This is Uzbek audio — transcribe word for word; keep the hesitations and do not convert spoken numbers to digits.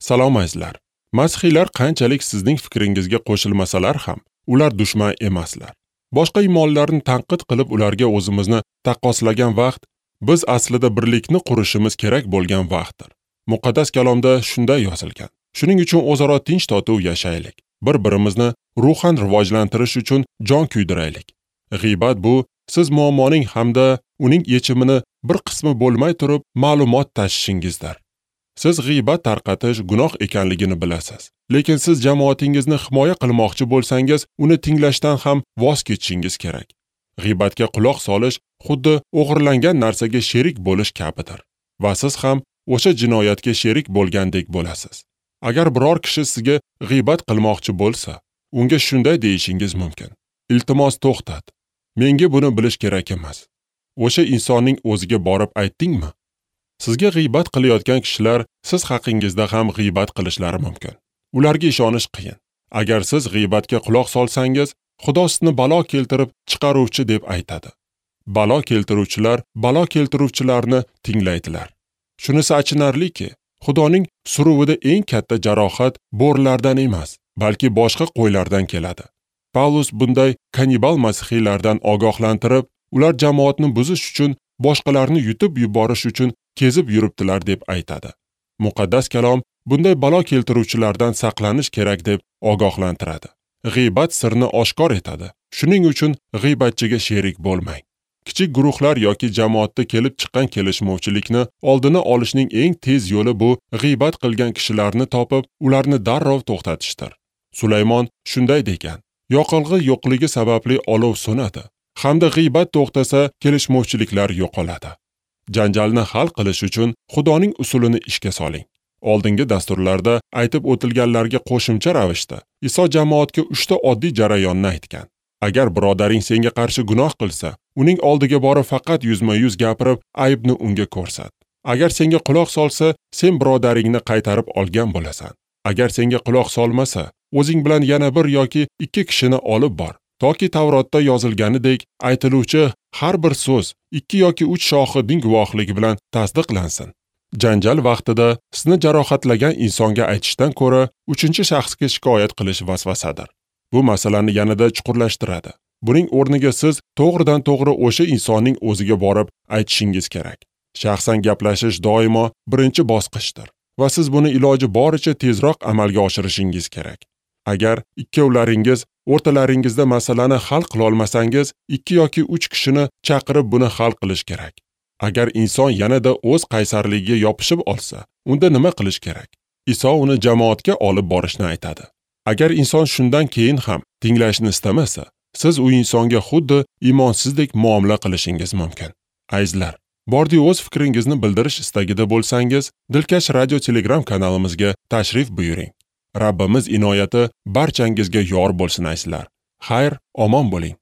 Salom azizlar. Masihiylar qanchalik sizning fikringizga qo'shilmasalar ham, ular dushman emaslar. Boshqa iymonlarni tanqid qilib ularga o'zimizni taqqoslagan vaqt, biz aslida birlikni qurishimiz kerak bo'lgan vaqtdir. Muqaddas kalomda shunday yozilgan. Shuning uchun o'zaro tinch totuv yashaylik. Bir-birimizni ruhan rivojlantirish uchun jon kuydiraylik. G'iybat bu siz muammoning hamda uning yechimini bir qismi bo'lmay turib ma'lumot tashishingizdir. Siz g'iybat tarqatish gunoh ekanligini bilasiz. Lekin siz jamoatingizni himoya qilmoqchi bo'lsangiz, uni tinglashdan ham voz kechishingiz kerak. G'iybatga quloq solish xuddi o'g'irlangan narsaga sherik bo'lish kabidir va siz ham o'sha jinoyatga sherik bo'lgandek bo'lasiz. Agar biror kishi sizga g'iybat qilmoqchi bo'lsa, unga shunday deyishingiz mumkin: "Iltimos to'xtat. Menga buni bilish kerak emas." O'sha insonning o'ziga borib aytdingmi? Sizga g'iybat qilayotgan kishilar siz haqingizda ham g'iybat qilishlari mumkin. Ularga ishonish qiyin. Agar siz g'iybatga quloq solsangiz, Xudo sizni balo keltirib chiqaruvchi deb aytadi. Balo keltiruvchilar balo keltiruvchilarni tinglaydilar. Shunisi achinarliki, Xudoning suruvida eng katta jarohat bo'rilardan emas, balki boshqa qo'ylardan keladi. Pavlus bunday kannibal masihiylardan ogohlantirib, ular jamoatni buzish uchun, boshqalarni yutib yuborish uchun kezib yuribdilar deb aytadi. Muqaddas kalom bunday balo keltiruvchilardan saqlanish kerak deb ogohlantiradi. G'iybat sirni oshkor etadi. Shuning uchun g'iybatchiga sherik bo'lmang. Kichik guruhlar yoki jamoatda kelib chiqqan kelishmovchilikni oldini olishning eng tez yo'li bu g'iybat qilgan kishilarni topib, ularni darrov to'xtatishdir. Sulaymon shunday degan: yoqilg'i yo'qligi sababli olov so'nadi, hamda g'iybat to'xtasa kelishmovchiliklar yo'qoladi. Janjalni hal qilish uchun Xudoning usulini ishga soling. Oldingi dasturlarda aytib o'tilganlarga qo'shimcha ravishda Iso jamoatga uchta oddiy jarayonni aytgan. Agar birodaring senga qarshi gunoh qilsa, uning oldiga borib faqat yuzma-yuz gapirib, aybni unga ko'rsat. Agar senga quloq solsa, sen birodaringni qaytarib olgan bo'lasan. Agar senga quloq solmasa, o'zing bilan yana bir yoki ikki kishini olib bor, toki Tavrotda yozilganidek aytiluvchi har bir so'z ikki yoki uch shohidning guvohligi bilan tasdiqlansin. Janjal vaqtida sizni jarohatlagan insonga aytishdan ko'ra uchinchi shaxsga shikoyat qilish vasvasadir. Bu masalani yanada chuqurlashtiradi. Buning o'rniga siz to'g'ridan-to'g'ri o'sha insonning o'ziga borib aytishingiz kerak. Shaxsan gaplashish doimo birinchi bosqichdir va siz buni iloji boricha tezroq amalga oshirishingiz kerak. Agar ikkovlaringiz o'rtalaringizda masalani hal qila olmasangiz, ikki yoki uch kishini chaqirib buni hal qilish kerak. Agar inson yanada o'z qaysarligiga yopishib olsa, unda nima qilish kerak? Iso uni jamoatga olib borishni aytadi. Agar inson shundan keyin ham tinglashni istamasa, siz u insonga xuddi iymonsizdek muomala qilishingiz mumkin. Azizlar, bordi o'z fikringizni bildirish istagida bo'lsangiz, Dilkash Radio Telegram kanalimizga tashrif buyuring. Rabbimiz inoyati barchangizga yor bo'lsin azizlar. Xayr, omon bo'ling.